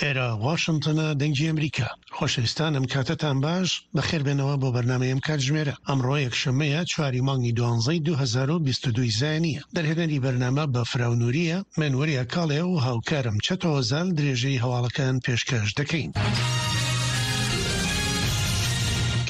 ئێرە واشنتنە دەنگی ئەمریکا. خۆشەویستان ئەم کاتەتان باش، بەخێربێنەوە بۆ بەرنامەی ئەم کاتژمێرە. ئەمڕۆ یەکشەممەیە چواری مانگی دوانزەی 2022 زایەنییە. دەرهێنەری بەرنامە بەفراو نورییە، من وریا کاڵێ و هاوکارم چەتۆ هۆزان درێژەی هەواڵەکان پێشکەش دەکەین.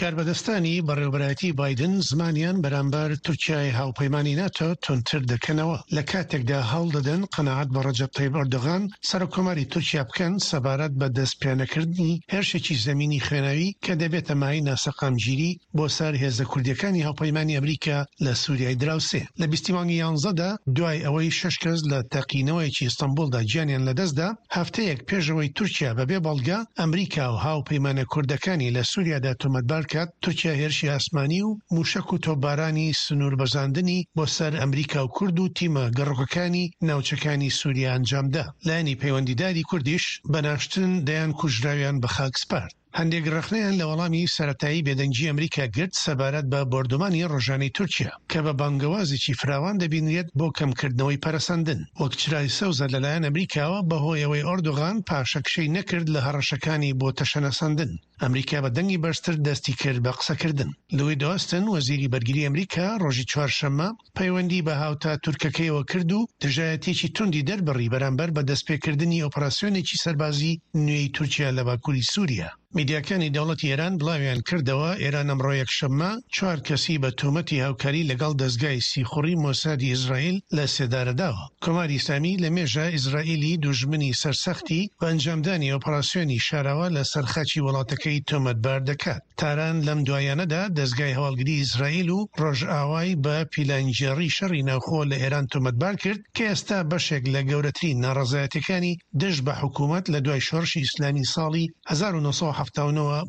کاربەدەستانی بەڕێوەبەرایەتی بایدن زمانیان بەرامبەر تورکیای هاوپەیمانی ناتۆ توندتر دەکەنەوە لە کاتێکدا هەوڵ دەدەن قەناعەت بە ڕەجەب تەیب ئەردۆغان سەرۆککۆماری تورکیا بکەن سەبارەت بە دەستپێنەکردنی هێرشێکی زەمینی خوێناوی کە دەبێتە مایەی ناسەقامگیری بۆ سەر هێزە کوردییەکانی هاوپەیمانی ئەمریکا لە سوریای دراوسێ. لە بیستی مانگی یانزەدا دوای ئەوەی شەش کەس لە تەقینەوەیەکی ئیستەنبوڵدا گیانیان لەدەستدا، هەفتەیەک پێش ئەوەی تورکیا بەبێ بەڵگە ئەمریکا و هاوپەیمانە کوردەکانی لە سوریادا تۆمەتبار کات، تورکیا هێرشی ئاسمانی و موشەک و تۆپبارانی سنووربەزاندنی بۆ سەر ئەمریکا و کورد و تیمە گەڕۆکەکانی ناوچەکانی سوریا ئەنجامدا. لایەنی پەیوەندیداری کوردیش بە ناشتن دەیان کوژراویان بە خاک سپارد. هەندێک ڕەخنەیان لە وەڵامی سەرەتایی بێدەنگی ئەمریکا گرت سەبارەت بە بۆردومانی ڕۆژانەی تورکیا، کە بە بانگەوازێکی فراوان دەبینرێت بۆکەمکردنەوەی پەرەسەندن، وەک چرای سەوزە لەلایەن ئەمریکاوە بەهۆی ئەوەی ئۆردوغان پاشەکشەی نەکرد لە هەڕەشەکانی بۆ تەشەنەسەندن. ئەمریکا بە دەنگی بەرزتر دەستی کرد بە قسەکردن. لوید ئۆستن، وەزیری بەرگری ئەمریکا ڕۆژی چوارشەممە پەیوەندی بە هاوتا تورکەکەیەوە کرد و دژایەتییەکی توندی دەربڕی بەرامبەر بە دەستپێکردنی ئۆپراسیۆنێکی سەربازی نوێی تورکیا لە باکوری سوریا. میدیاکانی دەوڵەتی ئێران بڵاویان کردەوە، ئێران ئەمڕۆ یەکشەممە چوار کەسی بە تۆمەتی هاوکاری لەگەڵ دەزگای سیخوڕی مۆسادی ئیسرائیل لە سێدارەداوە. کۆماری ئیسلامی لە مێژە ئیسرائیلی دوژمنی سەرسەختی بە ئەنجامدانی ئۆپراسیۆنی شاراوە لە سەر خاکی وڵاتەکەی تۆمەتبار دەکات. تاران لەم دواییانەدا دەزگای هەواڵگری ئیسرائیل و ڕۆژئاوای بە پیلانگێڕی شەڕی ناوخۆ لە ئێران تۆمەتبار کرد کە ئێستا بەشێک لە گەورەترین ناڕەزایەتیەکانی دژ بە حکوومەت لە دوای شۆڕشی ئیسلامی ساڵی 1979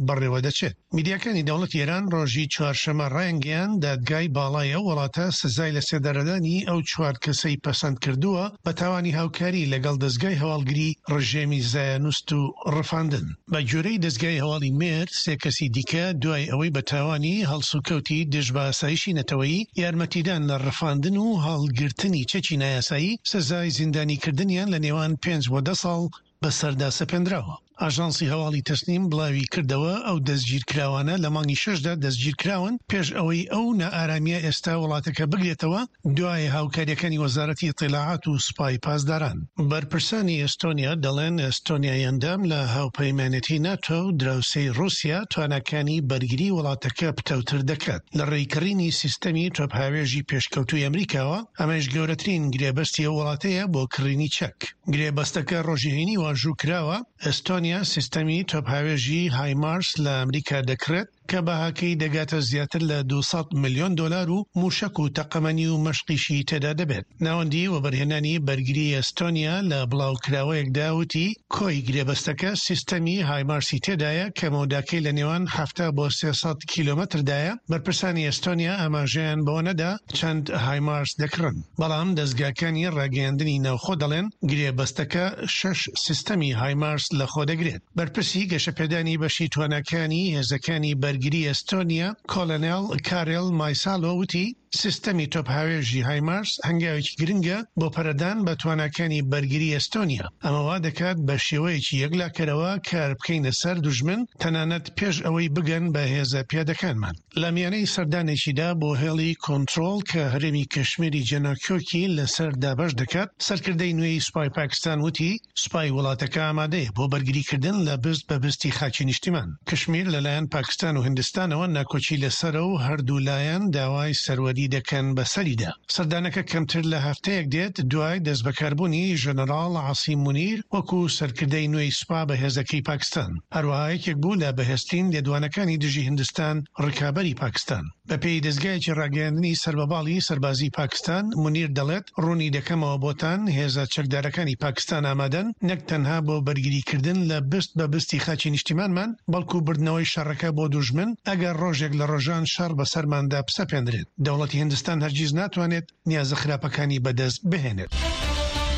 بەڕێوەدەچێت. میدیاکانی دەوڵەتی ئێران ڕۆژی چوارشەممە ڕایانگەیاند، دادگای باڵای ئەو وڵاتە سزای لەسێدارەدانی ئەو چوار کەسەی پەسەند کردووە بە تاوانی هاوکاری لەگەڵ دەزگای هەواڵگری ڕژێمی زایۆنست و ڕفاندن. بە گوێرەی دەزگای هەواڵی مێهر، سێ کەسی دیکە دوای ئەوەی بە تاوانی هەڵسوکەوتی دژ بە ئاسایشی نەتەوەیی، یارمەتیدان لە ڕفاندن و هەڵگرتنی چەکی نایاسایی، سزای زیندانیکردنیان لە نێوان پێنج بۆ دە ساڵ بەسەردا سەپێندراوە. ئاژانسی هەواڵی تەسنیم بڵاوی کردەوە، ئەو دەستگیرکراوانە لە مانگی شەشدا دەستگیرکراون، پێش ئەوەی ئەو نائارامییە ئێستا وڵاتەکە بگرێتەوە، دوای هاوکارییەکانی وەزارەتی ئیتیلاعات و سوپای پاسداران. بەرپرسانی ئێستۆنیا دەڵێن، ئێستۆنیای ئەندام لە هاوپەیمانێتی ناتۆ و دراوسێی ڕووسیا تواناکانی بەرگری وڵاتەکە پتەوتر دەکات لە ڕێی کڕینی سیستەمی تۆپهاوێژی پێشکەوتووی ئەمریکاوە، ئەمەیش گەورەترین گرێبەستی ئەو وڵاتەیە بۆ کڕینی چەک. گرێبەستەکە ڕۆژی هەینی واژوو کراوە، ئێستۆنیا سیستەمی تۆپهاوێژی هایمارس لە ئەمریکا دەکڕێت کە بەهاکەی دەگاتە زیاتر لە 200 ملیۆن دۆلار و مووشەک و تەقەمەنی و مەشقیشی تێدا دەبێت. ناوەندی وەبەرهێنانی بەرگری ئێستۆنیا لە بڵاوکراوەیەکدا وتی، کۆی گرێبەستەکە سیستەمی هایمارسی تێدایە کە مەوداکەی لە نێوان 70 بۆ 300 کیلۆمەتردایە، بەرپرسانی ئێستۆنیا ئاماژەیان بەوە نەدا چەند هایمارس دەکڕن. بەڵام دەزگاکانی ڕاگەیاندنی ناوخۆ دەڵێن گرێبەستەکە شەش سیستەمی هایمارس لەخۆدەگرێت. بەرپرسی گەشەپێدانی بەشی تواناکانی هێزەکانی بەرگری ئێستۆنیا، کۆلۆنێڵ کارێل مایسالۆ وتی، سیستەمی تۆپهاوێژی هایمارس هەنگاوێکی گرنگە بۆ پەرەدان بە تواناکانی بەرگری ئێستۆنیا، ئەمە وا دەکات بە شێوەیەکی یەکلاکەرەوە کار بکەینە سەر دوژمن تەنانەت پێش ئەوەی بگەن بە هێزە پیادەکانمان. لە میانەی سەردانێکیدا بۆ هێڵی کۆنترۆڵ کە هەرێمی کشمیری جێناکۆکی لەسەر دابەش دەکات، سەرکردەی نوێی سوپای پاکستان وتی، سوپای وڵاتەکە ئامادەیە بۆ بەرگریکردن لە بست بە بستی خاکی نیشتیمان. کشمیر لەلایەن پاکستان و هیندستانەوە ناکۆکی لەسەرە و هەردوو لایەن داوای سەروەری دەکەن بەسەریدا. سەردانەکە کەمتر لە هەفتەیەک دێت دوای دەستبەکاربوونی ژەنەراڵ عاسیم مونیر وەکو سەرکردەی نوێی سوپا بەهێزەکەی پاکستان. هەروەها یەکێک بوو لە بەهێزترین لێدوانەکانی دژی هیندستان ڕکابەری پاکستان. بەپێی دەزگایەکی ڕاگەیاندنی سەر بە باڵی سەربازیی پاکستان، مونیر دەڵێت، ڕوونی دەکەمەوە بۆتان، هێزە چەکدارەکانی پاکستان ئامادەن نەک تەنها بۆ بەرگریکردن لە بست بە بستی خاکی نیشتیمانمان، بەڵکو بردنەوەی شەڕەکە بۆ دوژمن، ئەگەر ڕۆژێک لە ڕۆژان شەڕ بەسەرماندا بسەپێندرێت. دەوڵەتی هیندستان هەرگیز ناتوانێت نیازە خراپەکانی بەدەست بهێنێت.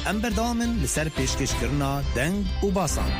ئەم بەردەوامن لەسەر پێشکەشکردنا دەنگ و باسان.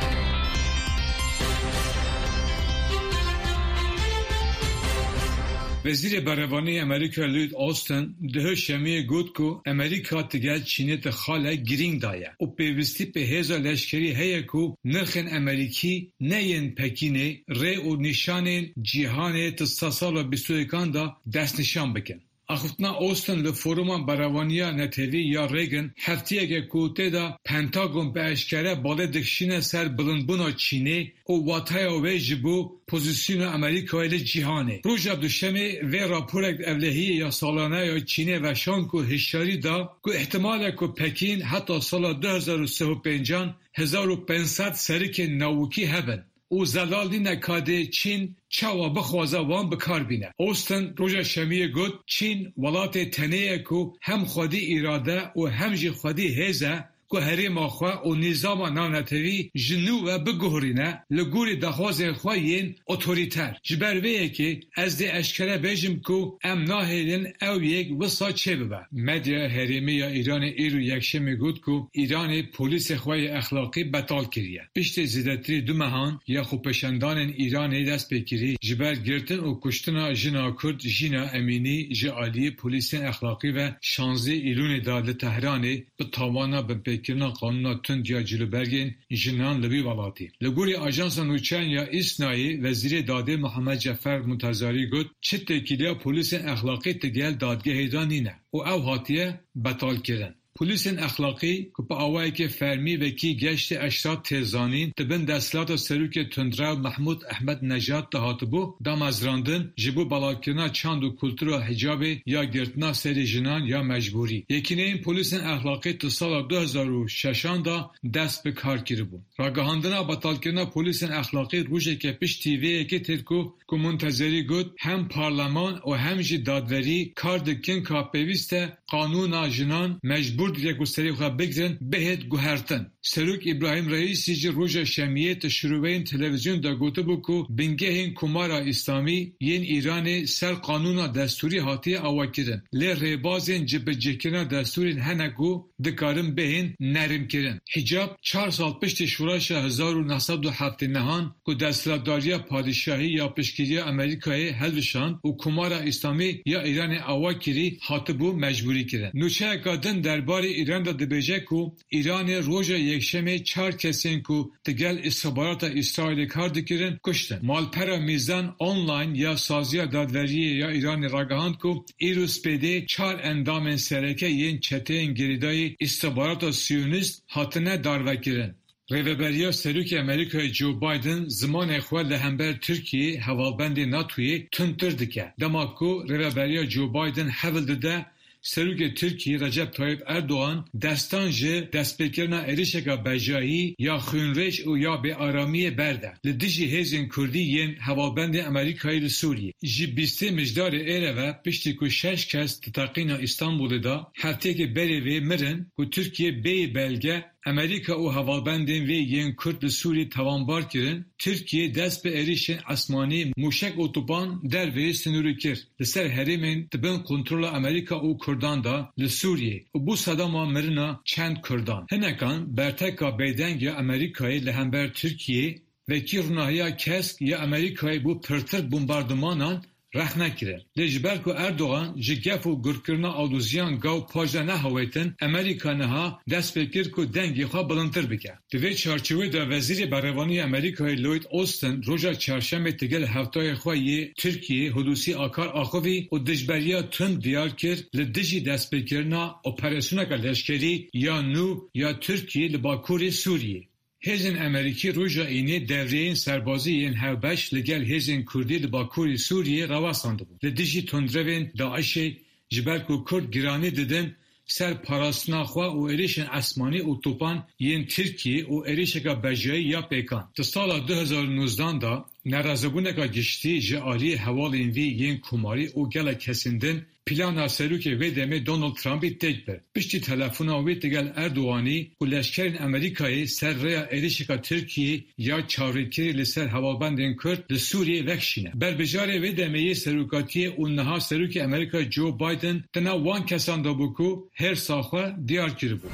Wezîrê Berevaniyê Amerîka Lloyd Austin duh şemiyê got ku Amerîka digel Çînê di xalek girîng de ye û pêwîstî bi hêza leşkerî heye ku nirxên Amerîkî ne yên Pekînê rê û nîşanên cîhanê di sedsala 21an de destnîşan bikin. Axiftina Austin li Foruma Berevaniya Netewî ya Reagan hefteyek e ku tê de Pentagon bi eşkere balê dikişîne ser bilindbûna Çînê û wateya wê ji bo pozîsyona Amerîkayê li cîhanê. Roja Duşemê vê raporek ewlehiyê ya salane ya Çînê veşand ku hişyarî da ku îhtimal e ku Pekîn heta sala 2035an 1500 serikên navokî hebin û zelal nîne ka dê Çîn çawa bixwaze wan bi kar bîne. Austin roja Şemiyê got, Çîn welatê tenê ye ku hem xwedî îrade û hem jî xwedî hêz e ku herêma xwe û nîzama navnetewî ji nû ve biguherîne li gorî daxwazên xwe yên otorîter. Ji ber vê yekê ez dê eşkere bêjim ku em nahêlin ew yek wisa çêbibe. Medyaya herêmî ya Îranê îro Yekşemê got ku Îranê polîsê xwe yê exlaqî betal kiriye. Piştî zêdetirî du mehan ya xwepêşandanên Îranê dest pê kirî ji ber girtin û kuştina jina Kurd Jîna Emînî ji aliyê polîsên exlaqî ve şanzdeh Îlûnê de li Tehranê bi tawana binpêkirina qanûna tund ya cilûbergên jinan li wî welatî. Li gorî ajansa nûçeyan ya ISNAyê Wezîrê Dadê Muhammed Cefer Muntezarî got, Çi têkiliya polîsên exlaqî digel dadgehê de nîne û ew hatiye betalkirin. Polîsên exlaqî ku bi awayekî fermî wekî Geştê Eşrat tê zanîn, di bin desthilata Serokê Tundrew Mehmûd Ehmednejad de hatibû damezrandin ji bo belavkirina çand û kultura hicabê ya girtina serê jinan ya mecbûrî. Yekîneyên polîsên exlaqî di sala 2006an de dest bi kar kiribûn. Ragihandina betalkirina polîsên exlaqî rojeke piştî vê yekê têt ku ku Muntezerî got, hem parleman û hem jî dadwerî kar dikin ka pêwîst e qanûna jinan mecbûr dike ku serê xwe bigirin bihêt guhertin. Serok Îbrahîm Reîsî jî roja Şemiyê di şiroveyên televîzyon de gotibû ku bingehên Komara Îslamî yên Îranê ser qanûna destûrî hatiye avakirin lê rêbazên cibicihkirina destûrên hene ku dikarin bihên nermkirin. Hicab çar sal piştî şoreşa 1979an ku desthilatdariya padîşahî ya piştgiriya Amerîkayê hilvişand û Komara Îslamî ya Îranê ava kirî hatibû mecbûrîkirin. Nûçeyeka din derbarê Îran de dibêje ku Îranê roja Yekşemê çar kesên ku digel îstixbarata Îsraîlê kar dikirin kuştin. Malpera Mîzan Online ya Saziya Dadweriyê ya Îranê ragihand ku îro spêdê çar endamên sereke yên çeteyên girêdayî îstixbarata Siyonîst hatine darvekirin. Rêveberiya Serokê Amerîkayê Joe Biden zimanê xwe li hember Tirkiyeyê hevalbendê NATOyê tundtir dike. Dema ku rêveberiya Joe Biden hewl dide Serokê Tirkiyê Recep Tayyip Erdogan destan ji destpêkirina êrişeke bejahî ya xwînrêj û ya bêaramiyê berde li dijî hêzên Kurdî yên hevalbendê Amerîkayê li Sûriyê. Ji bîstê Mijdarê êre ve piştî ku şeş kes di teqîna Îstanbulê de hefteyekê berê vê mirin ku Tirkiye bêyî belge Amerîka û hevalbendên wê yên Kurd li Sûriyê tawanbar kirin, Tirkiye dest bi êrişên esmanî, mûşek û topan derveyî sinûrê kir li ser herêmên di bin kontrola Amerîka û Kurdan de li Sûriyê û bû sedema mirina çend Kurdan. Hinekan berteka bêdeng ya Amerîkayê li hember Tirkiyê wekî ronahiya kesk ya Amerîkayê bû pirtir bombardumanan rexne kirin. Lê ji ber ku Erdogan ji gef û gurkirina aloziyan gav paş de nehawêtin, Amerîka niha dest pê kir ku dengê xwe bilindtir bike. Di vê çarçovê de Wezîrê Berevaniyê Amerîkayê Lloyd Austin roja Çarşemê digel hevtayê xwe yê Tirkiyê Hulusi Akar axivî û dijberiya tund diyar kir li dijî destpêkirina operasyoneke leşkerî ya nû ya Tirkiyê li Bakurê Sûriyê. Hêzên Amerîkî roja Înê devreyên serbazî yên hevbeş li gel hêzên Kurdî li Bakurê Sûriyê rawestandibûn. Li dijî tundrevên DAIŞê ji ber ku Kurd giranî didin ser parastina xwe û êrişên esmanî û topan yên Tirkiyê û êrişeke bejayî ya pêkan. Di sala 2019 de nerazîbûneke giştî ji aliyê hevalên wî yên komarî û gelek kesên din Plana Serokê wê demê Donald Trumpî têk bir. Piştî telefona wê digel Erdoganî ku leşkerên Amerîkayê ser rêya êrişeke Tirkiyê ya çavrêkirî li ser hevalbendên Kurd li Sûriyê vekişîne. Berbijarê wê demê yê serokatiyê û niha Serokê Amerîka Joe Biden di nav wan kesan de bû ku hêrsa xwe diyar kiribû.